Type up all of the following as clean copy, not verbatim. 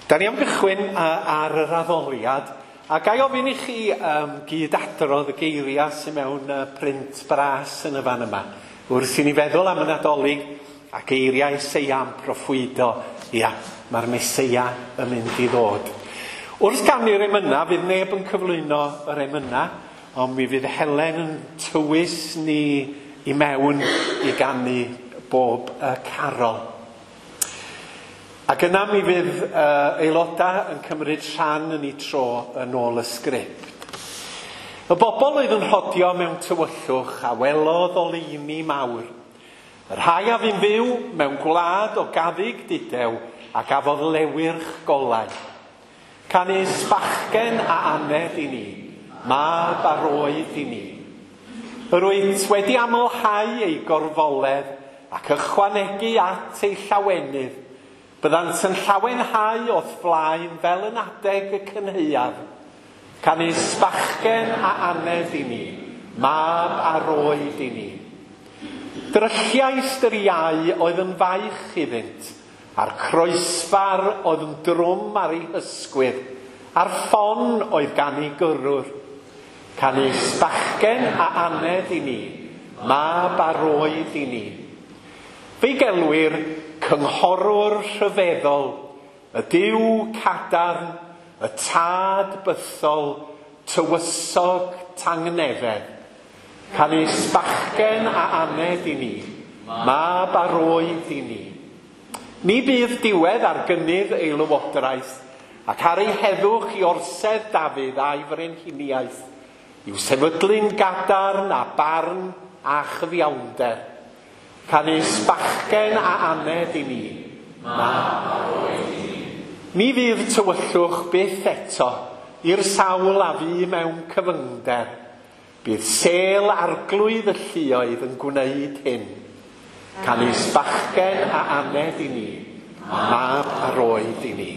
Da ni am gychwyn ar yr addoliad, a ga i ofyn i chi gyd-adrodd y geiriau sydd mewn print bras yn y fan yma. Wrth i ni feddwl am y Nadolig a geiriau Eseia am proffwydo, ia, mae'r Meseia yn mynd i ddod. Wrth ganu'r emyna, fydd neb yn cyflwyno yr emyna, ond mi fydd Helen yn tywys ni i mewn i ganu bob y carol. Ac yna mi fydd aelodau yn cymryd rhan yn eu tro yn ôl y sgript. Y bobl oedd yn rhodio mewn tywyllwch a welodd oleuni mawr. Y rhai a fu'n fyw mewn gwlad o gaddug dudew a gafodd lewyrch golau. Canys bachgen a aned i ni, mab a roed i ni. Yr wyt wedi amlhau ei gorfoledd ac ychwanegu at ei llawenydd. Byddant yn llawenhau o'th flaen fel yn adeg y cynhaeaf. Canys bachgen a aned i ni, mab a roed i ni. Drylliais yr iau oedd yn faich iddynt, a'r croesfar oedd yn drwm ar ei hysgwydd, a'r ffon oedd gan ei gyrrwr. Canys bachgen a aned i ni, mab a roed i ni. Fe'i gelwir cynghorwr rhyfeddol, y Duw cadarn, y tad bythol, tywysog tangnefedd. Canys bachgen a aned i ni, mab a roed i ni. Ni bydd diwedd ar gynnydd ei lywodraeth, ac ar ei heddwch i orsedd Dafydd a'i frenhiniaeth, i'w sefydlu'n gadarn a barn a chyfiawnder. Canys bachgen a aned i ni, mab a roed i ni. Ni fydd tywyllwch byth eto i'r sawl a fu mewn cyfyngder. Bydd sêl arglwydd y lluoedd yn gwneud hyn. Canys bachgen a aned i ni, mab a roed i ni.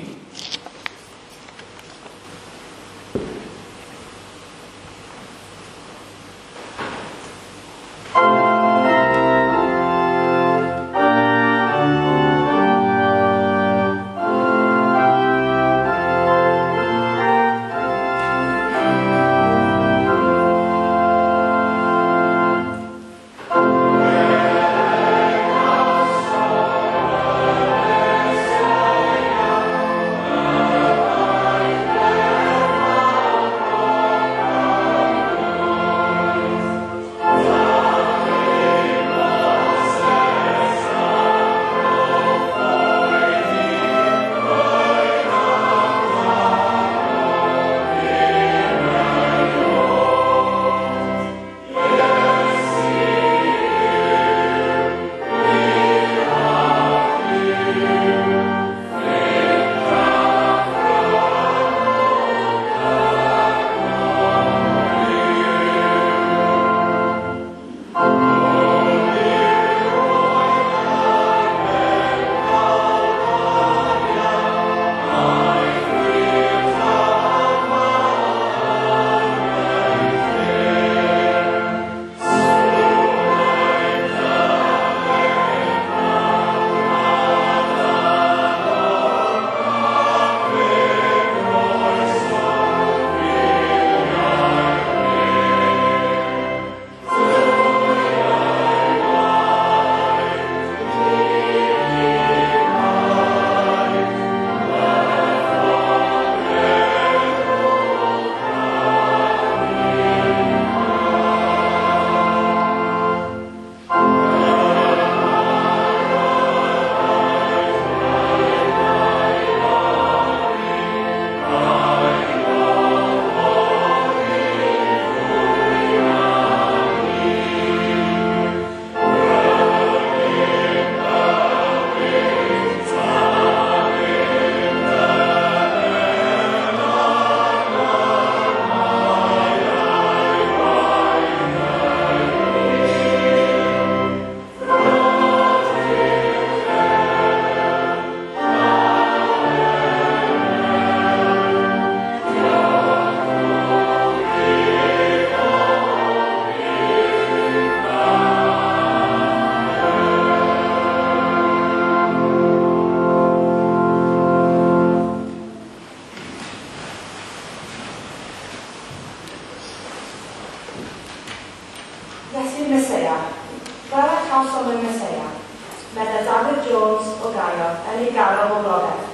gario yn ei ganol boblogaeth.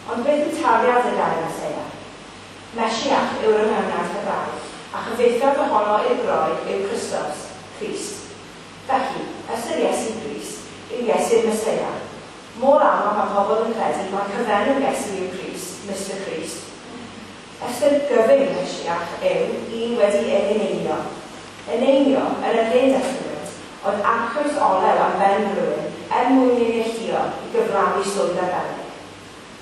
Ond beth yw tarddiad y gair Meseia? Mesiach yw'r ynganiad Hebraeg, a chyfieithiad ohono i'r Groeg yw Christos, Crist. Felly, ystyr Iesu Grist yw Iesu'r Meseia. Mor aml mae pobl yn credu mai cyfenw Iesu yw Crist, Mister Crist. Ystyr gyfyng Mesiach yw un wedi ei eneinio. Eneinio, yn yr Hen Testament, oedd arllwys olew am ben rhywun er mwyn ei neilltuo i gyflawni swydd arbennig.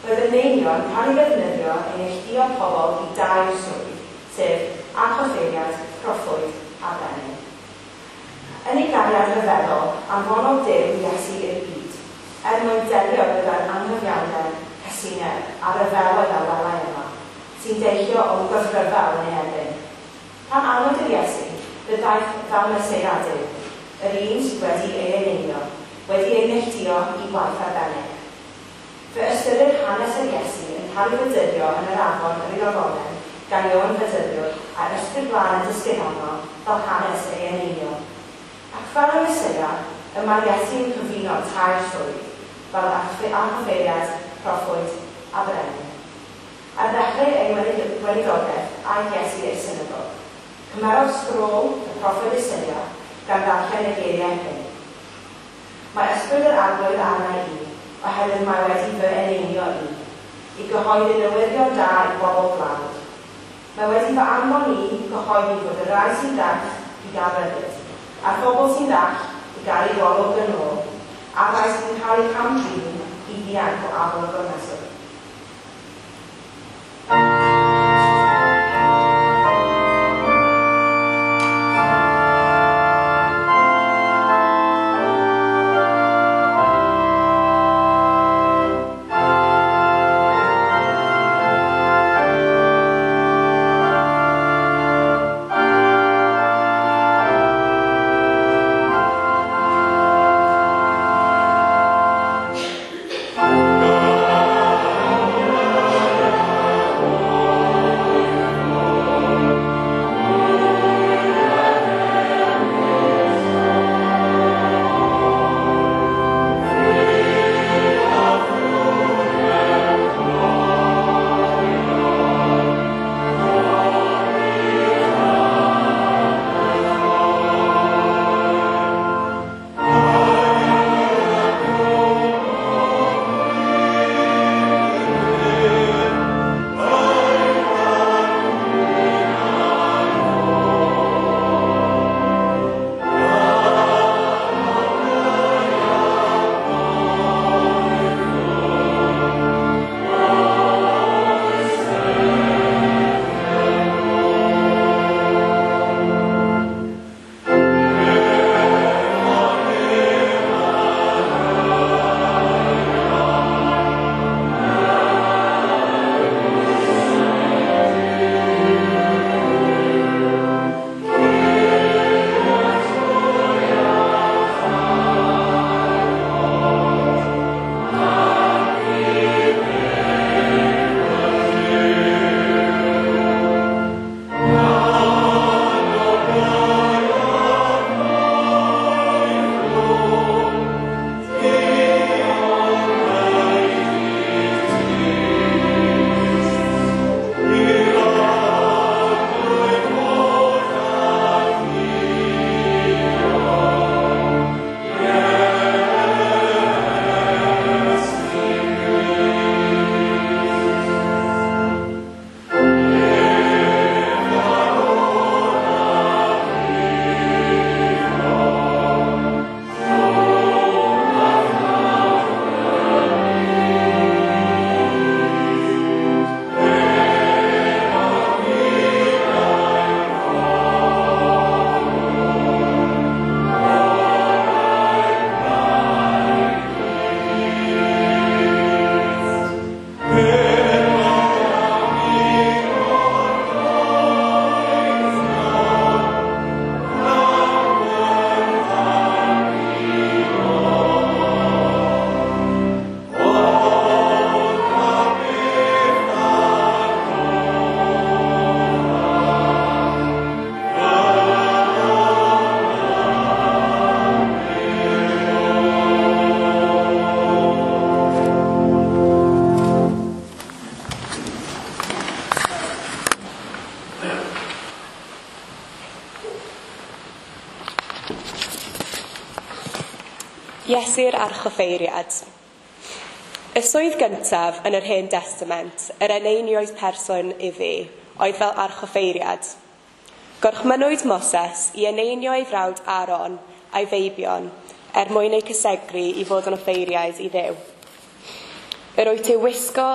Roedd eneinio yn cael ei ddefnyddio i neilltuo pobl i dair swydd, sef archoffeiriad, proffwyd a brenin. Yn ei gariad rhyfeddol, anfonodd Duw Iesu i'r byd, er mwyn delio gyda'r anghyfiawnder, casineb a rhyfeloedd a welai yma, sy'n deillio o gythryfel yn ei erbyn. Pan anwyd yr Iesu, fe ddaeth fel Meseia Duw, yr un sydd wedi ei eneinio, wedi ei neilltuo i waith arbennig. Fe ystyrir hanes yr Iesu yn cael ei fedyddio yn yr afon yr Iorddonen gan Ioan Fedyddiwr a'r Ysbryd Glân yn disgyn arno fel hanes ei eneinio. Ac fel y Meseia, y mae Iesu'n cyfuno tair swydd, fel archoffeiriad, proffwyd a brenin. Ar ddechrau ei weinidogaeth, aeth Iesu i'r synagog. Cymerodd sgrôl y proffwyd Eseia gan ddarllen y geiriau hyn. Mae ysbryd yr Arglwydd arna i, oherwydd mae wedi fy eneinio i, i gyhoeddi newyddion da i bobl dlawd. Mae wedi fy anfon i gyhoeddi fod y rhai sy'n dall i gael rhyddid, a'r bobl sy'n ddall i gael eu golwg yn ôl, a'r rhai sy'n cael eu cam-drin i ddianc o afal y gormeswr. God. Iesu'r Archoffeiriad. Y swydd gyntaf yn yr Hen Testament, yr eneinioes person iddi, oedd fel archoffeiriad. Gorchmynnwyd Moses i eneinio ei frawd Aaron a'i feibion er mwyn eu cysegru i fod yn offeiriaid i Dduw. Yr wyt ti wisgo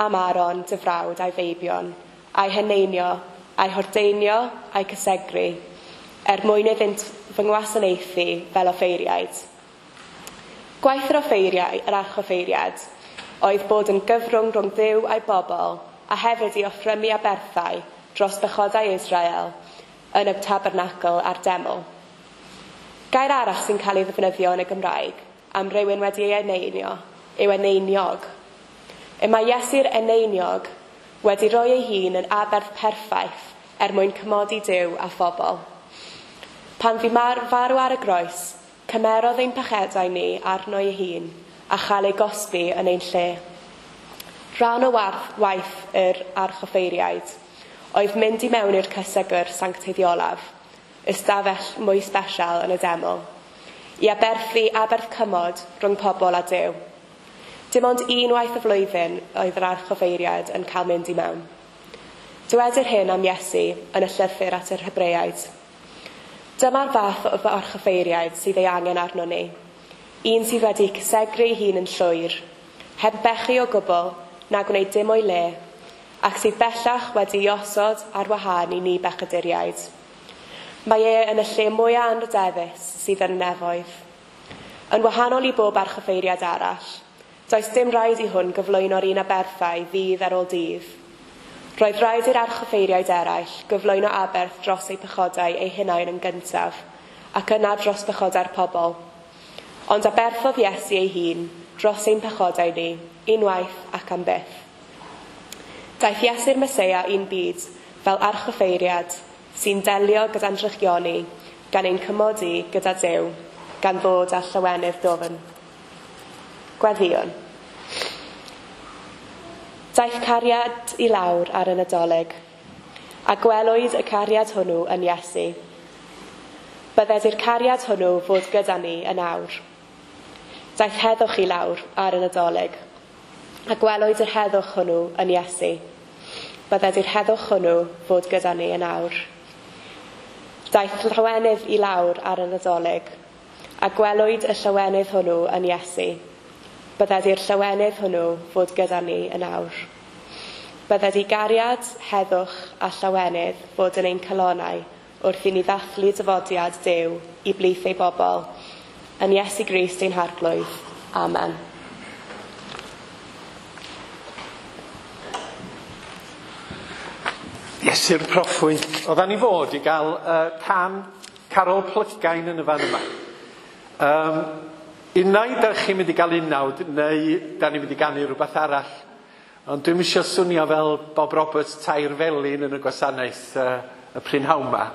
am Aaron dy frawd a'i feibion, a'i heneinio, a'i hordeinio, a'i cysegru, er mwyn iddynt fy ngwasanaethu fel offeiriaid. Gwaith yr offeiriau, yr archoffeiriad, oedd bod yn gyfrwng rhwng Dduw a'i bobl a hefyd i offrymu aberthau dros bechodau Israel yn y tabernacl a'r deml. Gair arall sy'n cael ei ddefnyddio yn y Gymraeg am rywun wedi ei eneinio yw eneiniog. Y mae Iesu'r eneiniog wedi rhoi ei hun yn aberth perffaith er mwyn cymodi Duw a phobl. Pan fu farw ar y groes, cymerodd ein pechedau ni arno ei hun a chael ei gosbi yn ein lle. Rhan o waith yr archoffeiriaid oedd mynd i mewn i'r cysegr sancteiddiolaf, ystafell mwy sbesial yn y deml, i aberthu aberth cymod rhwng pobl a Duw. Dim ond unwaith y flwyddyn oedd yr archoffeiriad yn cael mynd i mewn. Dywedir hyn am Iesu yn y llythyr at yr Hebreaid. Dyma'r fath o archoffeiriaid sydd ei angen arno ni. Un sydd wedi cysegru ei hun yn llwyr, heb bechu o gwbl na gwneud dim o'i le, ac sydd bellach wedi'i osod ar wahân i ni bechaduriaid. Mae e yn y lle mwyaf anrhydeddus sydd yn y nefoedd. Yn wahanol i bob archoffeiriad arall, does dim rhaid i hwn gyflwyno'r un aberthau ddydd ar ôl dydd. Roedd rhaid i'r archoffeiriaid eraill gyflwyno aberth dros eu pechodau eu hunain yn gyntaf, ac yna dros bechodau'r pobl. Ond aberthodd Iesu ei hun dros ein pechodau ni, unwaith ac am byth. Daeth Iesu'r Meseia i'n byd fel archoffeiriad sy'n delio gyda'n drychioni, gan ein cymodi gyda Duw, gan ddod â llawenydd dwfn. Gweddïwn. Daeth cariad i lawr ar y Nadolig, a gwelwyd y cariad hwnnw yn Iesu. Bydded i'r cariad hwnnw fod gyda ni yn awr. Daeth heddwch i lawr ar y Nadolig, a gwelwyd yr heddwch hwnnw yn Iesu. Bydded i'r heddwch hwnnw fod gyda ni yn awr. Daeth llawenydd i lawr ar y Nadolig, a gwelwyd y llawenydd hwnnw yn Iesu. Bydded i'r llawenydd hwnnw fod gyda ni yn awr. Bydded i gariad, heddwch a llawenydd fod yn ein calonnau wrth i ni ddathlu dyfodiad Duw i blith ei bobl. Yn Iesu Grist ein Harglwydd. Amen. Iesu'r proffwyd. Oeddan ni fod i gael can Carol Plygain yn y fan yma. Unai da chi'n mynd i gael unawd, neu da ni'n mynd i ganu rhywbeth arall. Ond dwi'm isio swnio fel Bob Roberts tair felin yn y gwasanaeth y prynhawn 'ma.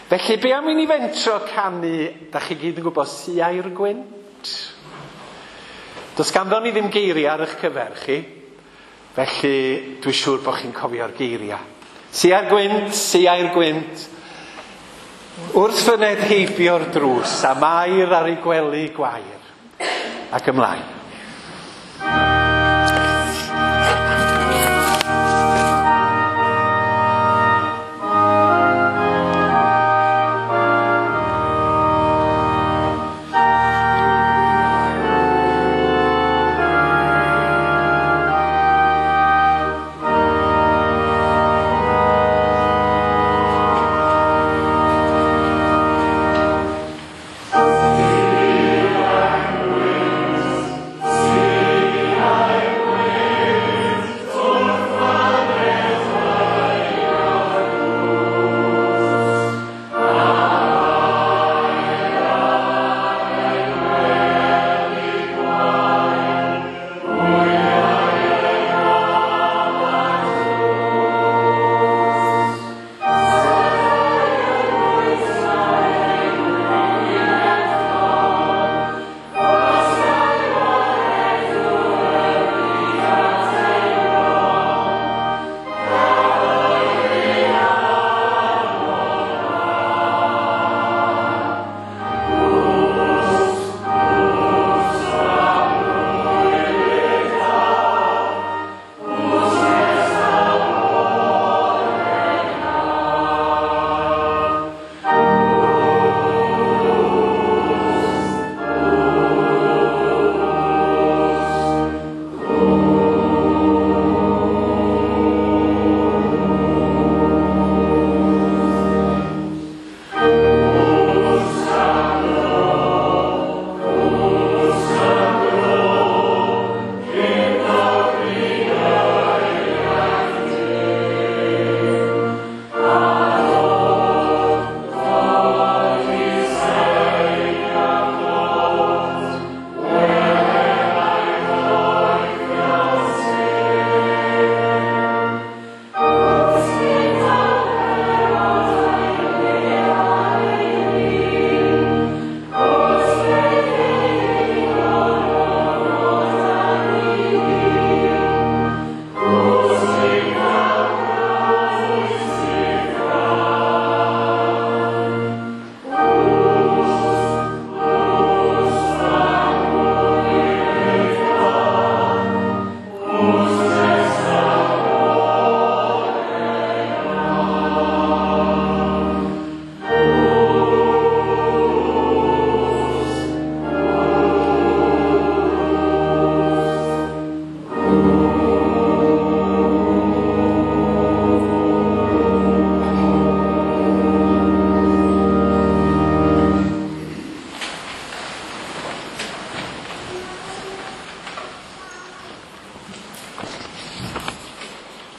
Felly, be am i ni fentro canu, da chi gyd yn gwybod, Siai'r Gwynt? Does ganddo ni ddim geiriau ar eich cyfer chi, felly dwi'n siŵr bod chi'n cofio'r geiriau. Siai'r Gwynt, Siai'r Gwynt, wrth fyned heibio'r drws, a Mair ar ei gwely gwair. Ac ymlaen. Thank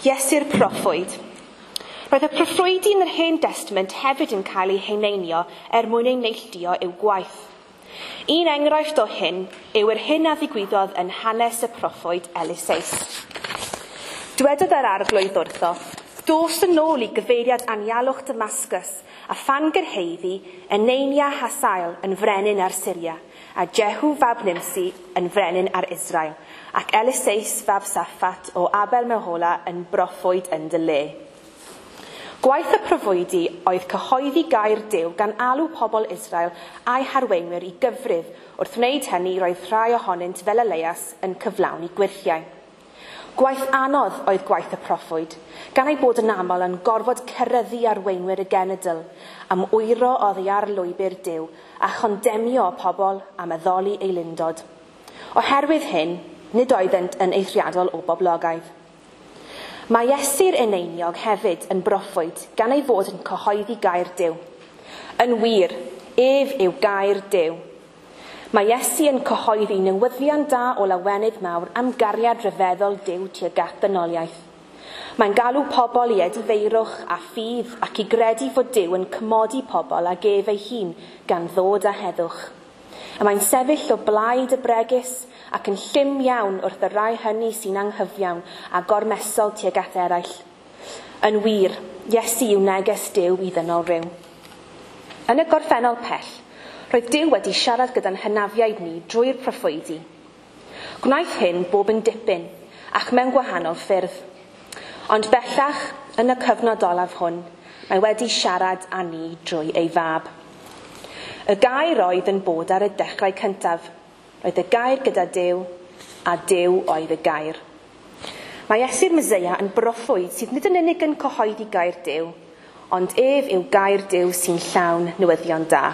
Iesu'r proffwyd. Roedd y proffwydi yn yr Hen Testament hefyd yn cael eu heneinio er mwyn eu neilltuo i'w gwaith. Un enghraifft o hyn yw yr hyn a ddigwyddodd yn hanes y proffwyd Eliseus. Dwedodd yr arglwydd wrtho, dos yn ôl i gyfeiriad anialwch Damascus a phan gyrhaeddi eneinia Hasael yn frenin ar Syria a Jehu fab Nimsi yn frenin ar Israel ac Eliseus fab Saffat o Abel Mehola yn broffwyd yn dy le. Gwaith y proffwydi oedd cyhoeddi gair Duw gan alw pobl Israel a'i harweinwyr i gyfrif. Wrth wneud hynny roedd rhai ohonynt fel Elias yn cyflawni gwyrthiau. Gwaith anodd oedd gwaith y proffwyd, gan ei bod yn aml yn gorfod ceryddu arweinwyr y genedl am wyro oddi ar lwybr Duw a chondemio pobl am addoli ei lindod. Oherwydd hyn, nid oeddent yn eithriadol o boblogaidd. Mae Iesu'r eneiniog hefyd yn broffwyd gan ei fod yn cyhoeddi gair Duw. Yn wir, ef yw gair Duw. Mae Iesu yn cyhoeddi newyddion da o lawenydd mawr am gariad rhyfeddol Duw tuag at ddynoliaeth. Mae'n galw pobl i edifeirwch a ffydd ac i gredu fod Duw yn cymodi pobl ag ef ei hun gan ddod â heddwch. A mae'n sefyll o blaid y bregus ac yn llym iawn wrth y rhai hynny sy'n anghyfiawn a gormesol tuag at eraill. Yn wir, Iesu yw neges Duw i ddynol rhyw. Yn y gorffennol pell, roedd Duw wedi siarad gyda'n hynafiaid ni drwy'r proffwydi. Gwnaeth hyn bob yn dipyn ac mewn gwahanol ffyrdd. Ond bellach, yn y cyfnod olaf hwn, mae wedi siarad â ni drwy ei fab. Y gair oedd yn bod ar y dechrau cyntaf. Roedd y gair gyda Duw, a Duw oedd y gair. Mae Iesu'r Meseia yn broffwyd sydd nid yn unig yn cyhoeddi gair Duw, ond ef yw gair Duw sy'n llawn newyddion da.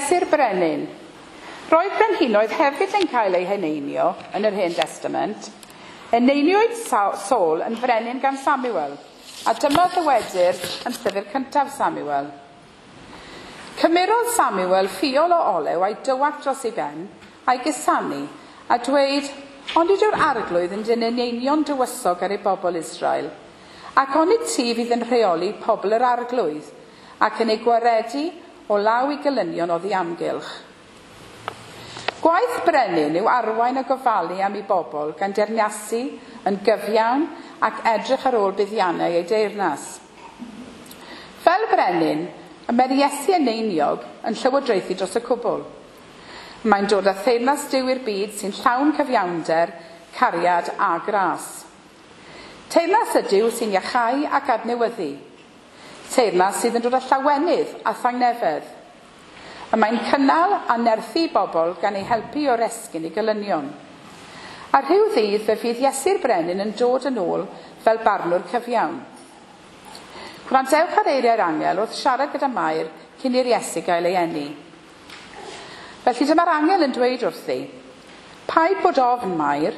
Iesu'r Brenin. Roedd brenhinoedd hefyd yn cael eu heneinio yn yr Hen Testament. Eneiniwyd Saul yn frenin gan Samuel, a dyma ddywedir yn llyfr cyntaf Samuel. Cymerodd Samuel ffiol o olew a'i dywallt dros ei ben, a'i gusanu, a dweud, onid yw'r arglwydd yn dyn eneinio'n dywysog ar ei bobl Israel, ac onid ti fydd yn rheoli pobl yr arglwydd, ac yn ei gwaredu o law i gelynion oddi amgylch. Gwaith brenin yw arwain a gofalu am ei bobl gan deyrnasu yn gyfiawn ac edrych ar ôl buddiannau ei deyrnas. Fel brenin, y mae'r Iesu eneiniog yn llywodraethu dros y cwbl. Mae'n dod â theyrnas Duw i'r byd sy'n llawn cyfiawnder, cariad a gras. Teyrnas ydyw sy'n iachau ac adnewyddu. Teyrnas sydd yn dod â llawenydd a thangnefedd. Y mae'n cynnal a nerthu bobl gan ei helpu o'r esgyn i gelynion. A rhyw ddydd fe fydd Iesu'r Brenin yn dod yn ôl fel barnwr cyfiawn. Gwrandewch ar eiriau'r angel wrth siarad gyda Mair cyn i'r Iesu gael ei eni. Felly dyma'r angel yn dweud wrthi, Paid bod ofn, Mair,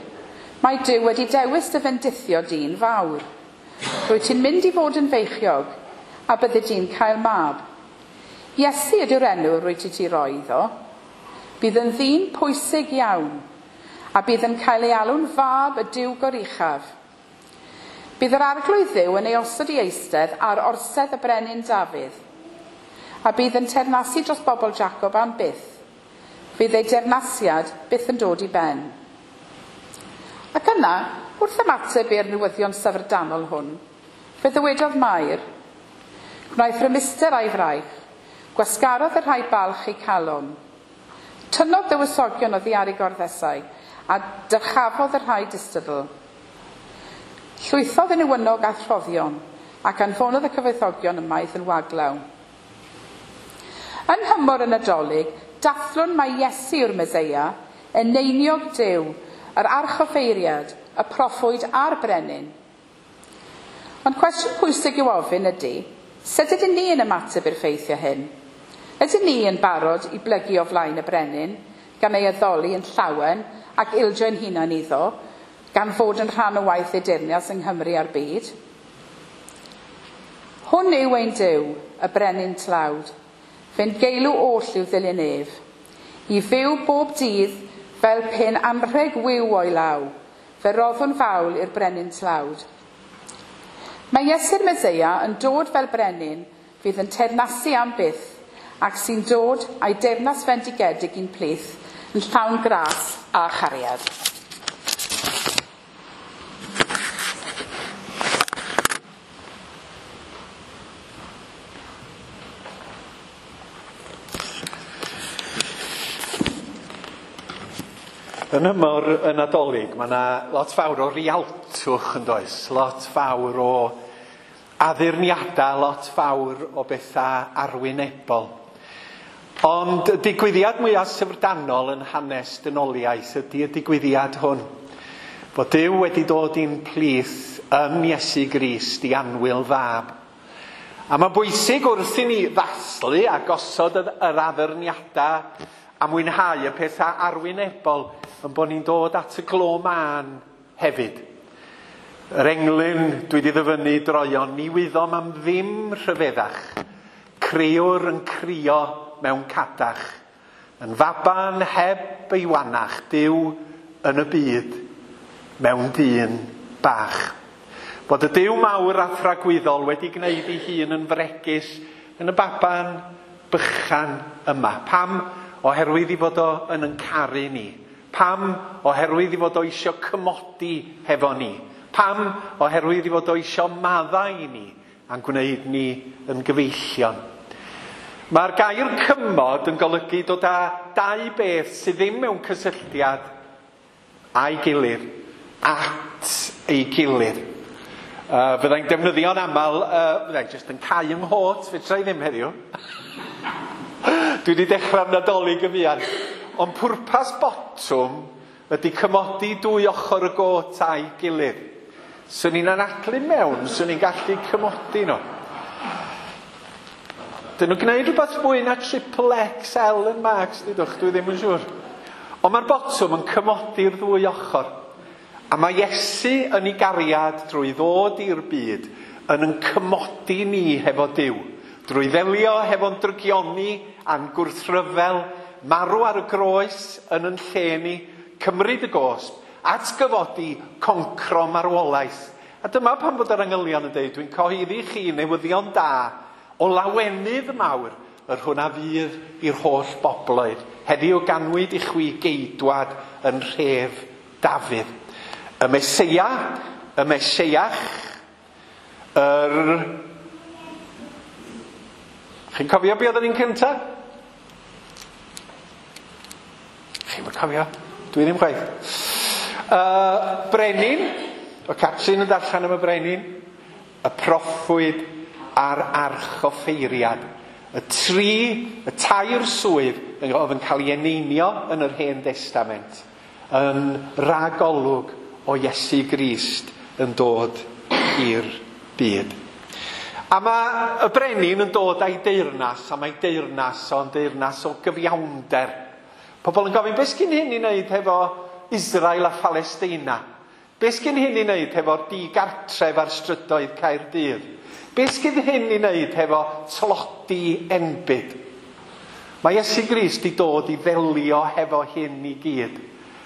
mae Duw wedi dewis dy fendithio di'n fawr. Rwyt ti'n mynd i fod yn feichiog, a byddi di'n cael mab. Iesu ydy'r enw rwyt ti ti roi iddo. Bydd yn ddyn pwysig iawn, a bydd yn cael ei alw'n fab y Duw goruchaf. Bydd yr arglwydd Dduw yn ei osod i eistedd ar orsedd y brenin Dafydd, a bydd yn teyrnasu dros bobl Jacob am byth. Fydd ei deyrnasiad byth yn dod i ben. Ac yna, wrth ymateb i'r newyddion syfrdanol hwn, fe ddywedodd Mair, gwnaeth rymuster a'i fraich, gwasgarodd y rhai balch eu calon. Tynnodd dywysogion oddi ar ei gorddesau, a dyrchafodd y rhai distadl. Llwythodd y newynog a throddion, ac anfonodd y cyfoethogion ymaith yn waglaw. Yn nhymor y Nadolig, dathlwn mai Iesu yw'r Meseia, eneiniog Duw, yr archoffeiriad, y proffwyd a'r brenin. Ond cwestiwn pwysig i'w ofyn ydy, sut ydyn ni yn ymateb i'r ffeithiau hyn? Ydyn ni yn barod i blygu o flaen y brenin, gan ei addoli yn llawen ac ildio ein hunain iddo, gan fod yn rhan o waith ei deyrnas yng Nghymru a'r byd? Hwn yw ein Duw, y brenin tlawd, fe'n geilw oll i'w ddilyn ef, i fyw bob dydd fel pen anrheg wiw o'i law, fe roddwn fawl i'r brenin tlawd. Mae Iesu'r Meseia yn dod fel brenin fydd yn teyrnasu am byth ac sy'n dod a'i deyrnas fendigedig i'n plith yn llawn gras a chariad. Yn ymor y Nadolig, mae yna lot fawr o rialtwch yn does, lot fawr o addurniadau, lot fawr o bethau arwynebol. Ond y digwyddiad mwyaf syfrdanol yn hanes dynoliaeth ydy y digwyddiad hwn. Bod Duw wedi dod i'n plith yn Iesu Grist i annwyl fab. A mae'n bwysig wrth i ni ddathlu a gosod yr addurniadau a mwynhau y pethau arwynebol yn bod ni'n dod at y glo mân hefyd. Yr englyn dwi wedi ddyfynnu droion, ni wyddom am ddim rhyfeddach. Crëwr yn crio mewn cadach, yn faban heb ei wanach, Duw yn y byd, mewn dyn bach. Bod y Duw mawr a thragwyddol wedi gwneud ei hun yn fregus yn y baban bychan yma. Pam? Oherwydd i fod o yn caru ni. Pam? Oherwydd i fod o isio cymodi hefo ni. Pam? Oherwydd i fod o isio maddau i ni a'n gwneud ni yn gyfeillion. Mae'r gair cymod yn golygu dod â dau beth sydd ddim mewn cysylltiad â'i gilydd, at ei gilydd. Fyddai'n defnyddio'n aml, fyddai'n jyst yn cau yng nghot, fedra i ddim heddiw. Dwi wedi dechrau'r Nadolig yn fuan. Ond pwrpas botwm ydy cymodi dwy ochr y got a'i gilydd. Swn i'n anadlu mewn, swn i'n gallu cymodi nhw. Dyn nhw'n gwneud rhywbeth fwy na triple XL yn Marks, dydwch, dwi ddim yn siŵr. Ond mae'r botwm yn cymodi'r ddwy ochr. A mae Iesu yn ei gariad drwy ddod i'r byd yn cymodi ni hefo Duw. Drwy ddelio hefo'n drygioni a'n gwrthryfel, marw ar y groes yn lle ni, cymryd y gosb, atgyfodi, concro marwolaeth. A dyma pan fod yr angylion yn dweud, dwi'n cyhoeddi chi newyddion da o lawenydd mawr yr hwn a fydd i'r holl bobloedd. Heddiw ganwyd i chwi geidwad yn rhef Dafydd. Y Meseia, y Meseiach, yr... Chi'n cofio be oedd yr un cynta? Chi'n cofio? Dwi ddim chwaith. Brenin, y Catrin yn darllen am y brenin, y proffwyd a'r archoffeiriad. Y tri, y tair swydd oedd yn cael ei eneinio yn yr Hen Testament yn ragolwg o Iesu Grist yn dod i'r byd. A mae y brenin yn dod a'i deyrnas, a mae deyrnas o'n deyrnas o gyfiawnder. Pobl yn gofyn, beth sgyn hyn i wneud hefo Israel a Phalesteina? Beth sgyn hyn i wneud hefo'r digartref ar strydoedd Caerdydd? Beth sgyn hyn i wneud hefo tlodi enbyd? Mae Iesu Grist 'di dod i ddelio hefo hyn i gyd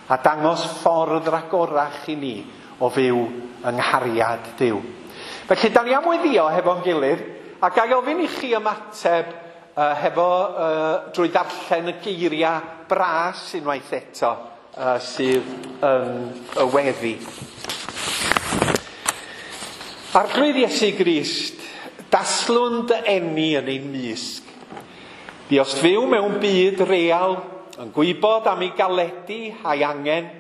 a dangos ffordd ragorach i ni o fyw yng nghariad Duw. Felly, da ni am weddio hefo'n gilydd, a ga i ofyn i chi ymateb hefo drwy ddarllen y geiriau bras unwaith eto sydd yn y weddi. Arglwydd Iesu Grist, daslwn dy eni yn ein mysg. Buost fyw mewn byd real, yn gwybod am ei galedu a'i angen.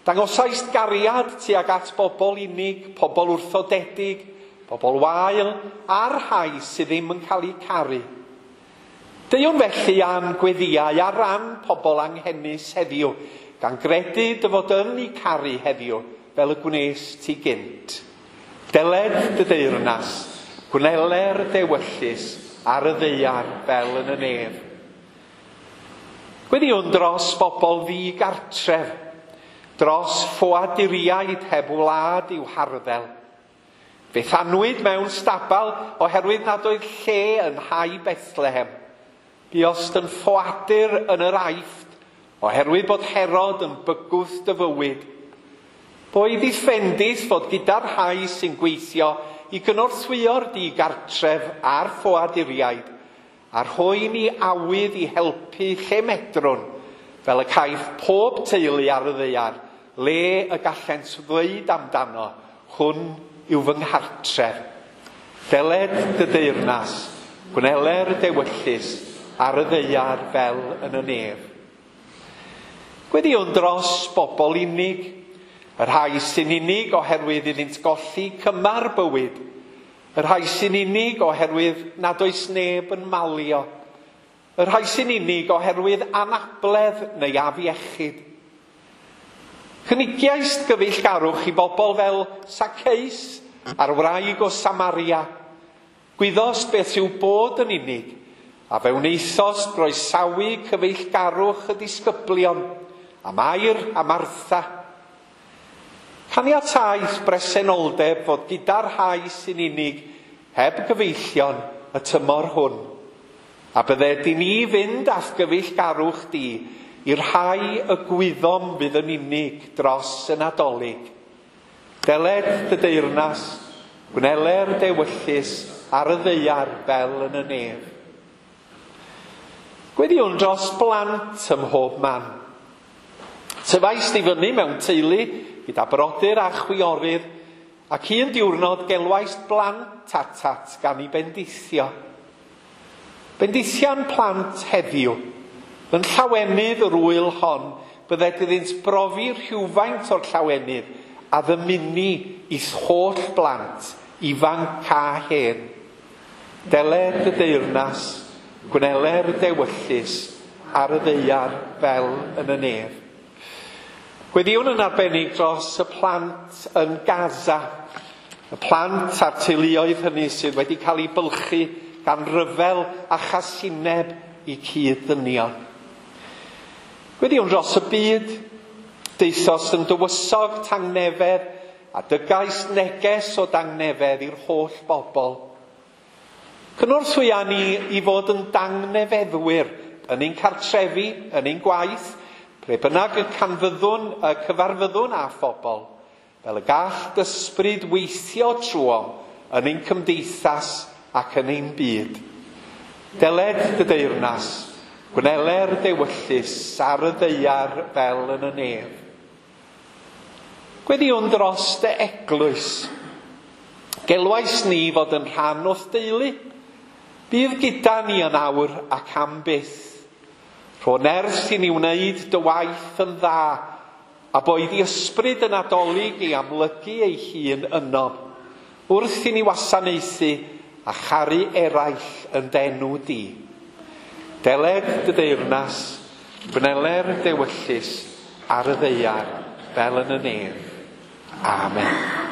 Dangosaist gariad tuag at bobl unig, pobl wrthodedig, pobl wael, a'r rhai sydd ddim yn cael eu caru. Deuwn felly am gweddiau ar ran pobl anghenus heddiw, gan gredu dy fod yn eu caru heddiw fel y gwnes ti gynt. Deled dy deyrnas, gwneler dewyllys ar y ddaear fel yn y nef. Gweddiwn dros bobl ddigartref, dros ffoaduriaid heb wlad i'w harddel. Fe thanwyd mewn stabal oherwydd nad oedd lle yn nhai Bethlehem. Buost yn ffoadur yn yr Aifft oherwydd bod Herod yn bygwth dy fywyd. Boed i'th fendith fod gyda'r rhai sy'n gweithio i gynorthwyo'r digartref a'r ffoaduriaid, a rhoi ni awydd i helpu lle medrwn, fel y caiff pob teulu ar y ddaear, le y gallent ddweud amdano, hwn yw fy nghartref. Deled dy deyrnas, gwneler dewyllys ar y ddaear fel yn y nef. Gweddiwn dros bobl unig, y rhai sy'n unig oherwydd iddynt golli cymar bywyd, y rhai sy'n unig oherwydd nad oes neb yn malio, y rhai sy'n unig oherwydd anabledd neu afiechyd. Cynigiaist gyfeillgarwch i bobl fel Zacchaeus a'r wraig o Samaria. Gwyddost beth yw bod yn unig, a fe wnaethost groesawu cyfeillgarwch y disgyblion, a Mair a Martha. Caniataeth bresenoldeb fod gyda'r rhai sy'n unig heb gyfeillion y tymor hwn. A bydded i ni fynd a'th gyfeillgarwch di i'r rhai y gwyddom fydd yn unig dros y Nadolig. Deled dy deyrnas, gwneler dewyllys ar y ddaear fel yn y nef. Gweddiwn dros blant ym mhob man. Tyfaist i fyny mewn teulu gyda brodyr a chwiorydd, ac un diwrnod gelwaist blant atat gan i bendithio. Bendithian plant heddiw. Yn llawenydd yr ŵyl hon, bydded iddynt brofi rhywfaint o'r llawenydd a ddymuni i'th holl blant, ifanc a hen. Deled y deyrnas, gwneler dewyllys ar y ddaear fel yn y nef. Gweddiwn yn arbennig dros y plant yn Gaza, y plant a'r teuluoedd hynny sydd wedi cael eu bylchu gan ryfel a chasineb i cyd-ddynion. Gweddïwn dros y byd, daethos yn dywysog tangnefedd a dygais neges o dangnefedd i'r holl bobl. Cynorthwya ni i fod yn dangnefeddwyr yn ein cartrefi, yn ein gwaith, ble bynnag y canfyddwn, y cyfarfyddwn â phobl, fel y gall dysbryd weithio trwom yn ein cymdeithas ac yn ein byd. Deled dy deyrnas, gwneler dewyllys ar y ddaear fel yn y nef. Gweddïwn dros dy eglwys. Gelwais ni fod yn rhan o'th deulu. Bydd gyda ni yn awr ac am byth. Rho nerth i ni wneud dy waith yn dda, a boed i ysbryd y Nadolig i amlygu ei hun yno, wrth i ni wasanaethu a charu eraill yn d'enw di. Deled dy deyrnas, gwneler dewyllys ar y ddaear fel yn y nef. Amen. Amen.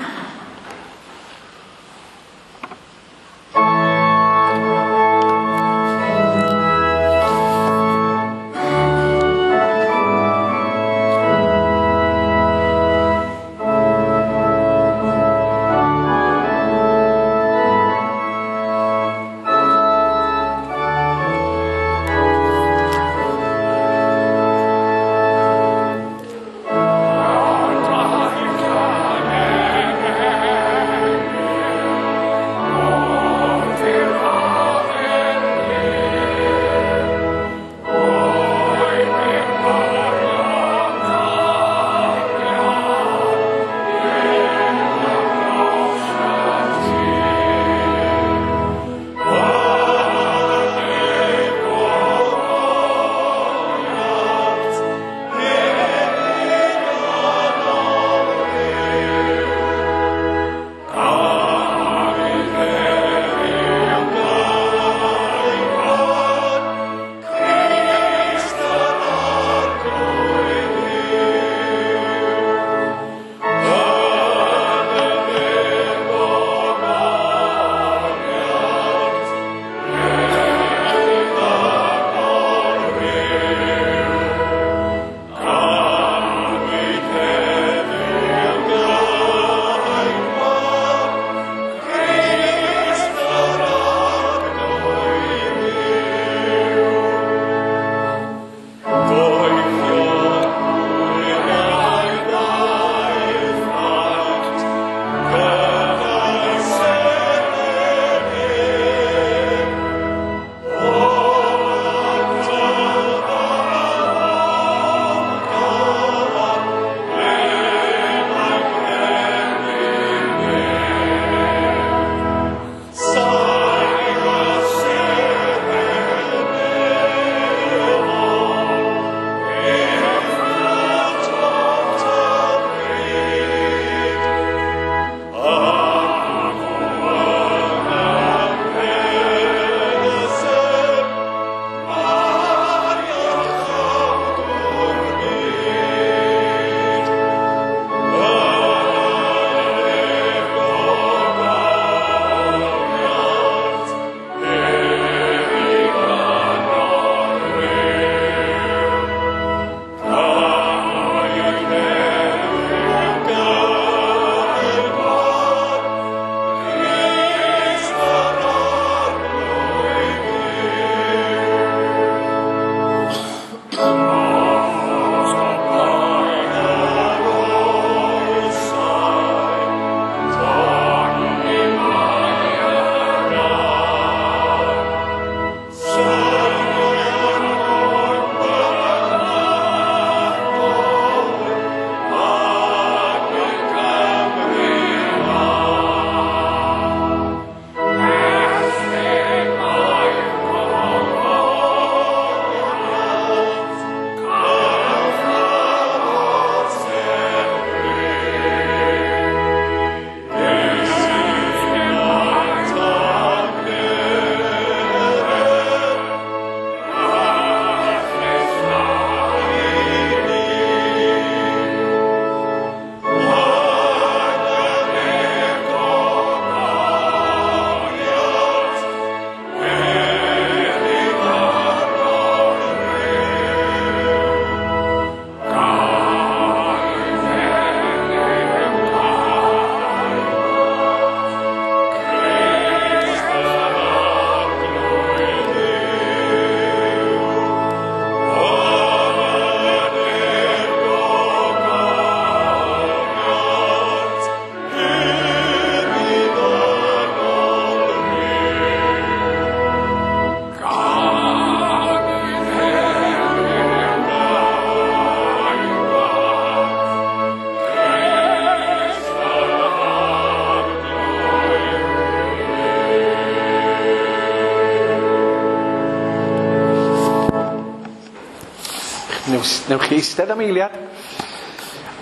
Newch chi eistedd am eiliad.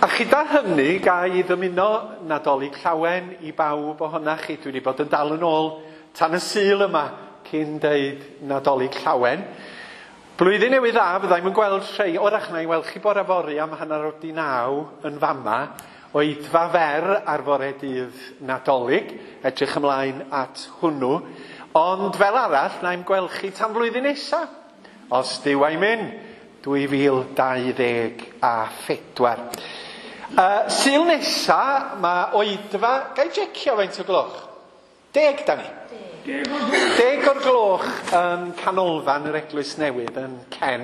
A chyda hynny, ga i ddymuno Nadolig Llawen i bawb ohonach chi. Dwi wedi bod yn dal yn ôl tan y Sul yma cyn deud Nadolig Llawen. Blwyddyn newydd dda, fyddai'm yn gweld rhei, wrach na i weld chi bore fory am 9:30 yn fama, oedfa fer ar fore dydd Nadolig, edrych ymlaen at hwnnw. Ond fel arall, na i'm gweld chi tan flwyddyn nesa, os Duw a'i myn, 2024. Sul nesa, mae oedfa, ga i jecio faint o gloch? 10 da ni? 10 o'r gloch yn canolfan yr Eglwys Newydd yn Cen.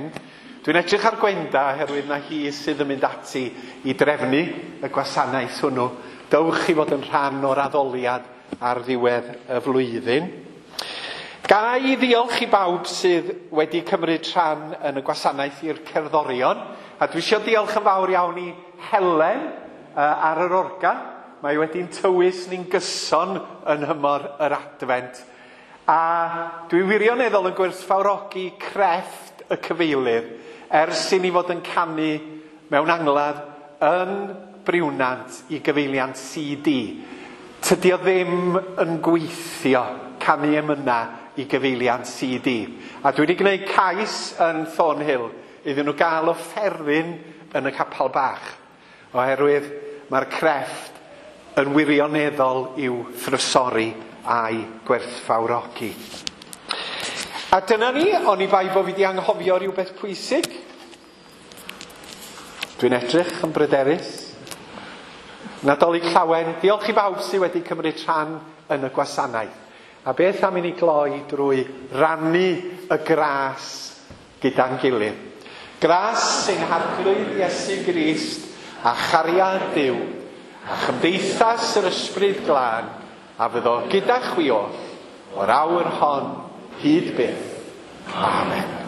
Dwi'n edrych ar Gwenda oherwydd na hi sydd yn mynd ati i drefnu y gwasanaeth hwnnw. Dowch i fod yn rhan o'r addoliad ar ddiwedd y flwyddyn. Ga i ddiolch i bawb sydd wedi cymryd rhan yn y gwasanaeth i'r cerddorion. A dwi eisiau diolch yn fawr iawn i Helen ar yr organ. Mae wedi'n tywys ni'n gyson yn nhymor yr Adfent. A dwi wirioneddol yn gwerthfawrogi crefft y cyfeilydd ers i ni fod yn canu mewn angladd yn Briwnant i gyfeiliant CD. Tydi o ddim yn gweithio canu emyna i gyfeiliant CD. A dwi wedi gwneud cais yn Thornhill iddyn nhw gael offeryn yn y capel bach. Oherwydd mae'r crefft yn wirioneddol i'w thrysori a'i gwerthfawrogi. A dyna ni, oni bai bo fi wedi anghofio rhywbeth pwysig. Dwi'n edrych yn bryderus. Nadolig Llawen, diolch i bawb sydd wedi cymryd rhan yn y gwasanaeth. A beth am i ni gloi drwy rannu y gras gyda'n gilydd. Gras sy'n Harglwydd Iesu Grist a chariad Duw a chymdeithas yr Ysbryd Glân a fyddo gyda chwi oll o'r awr hon hyd byth. Amen.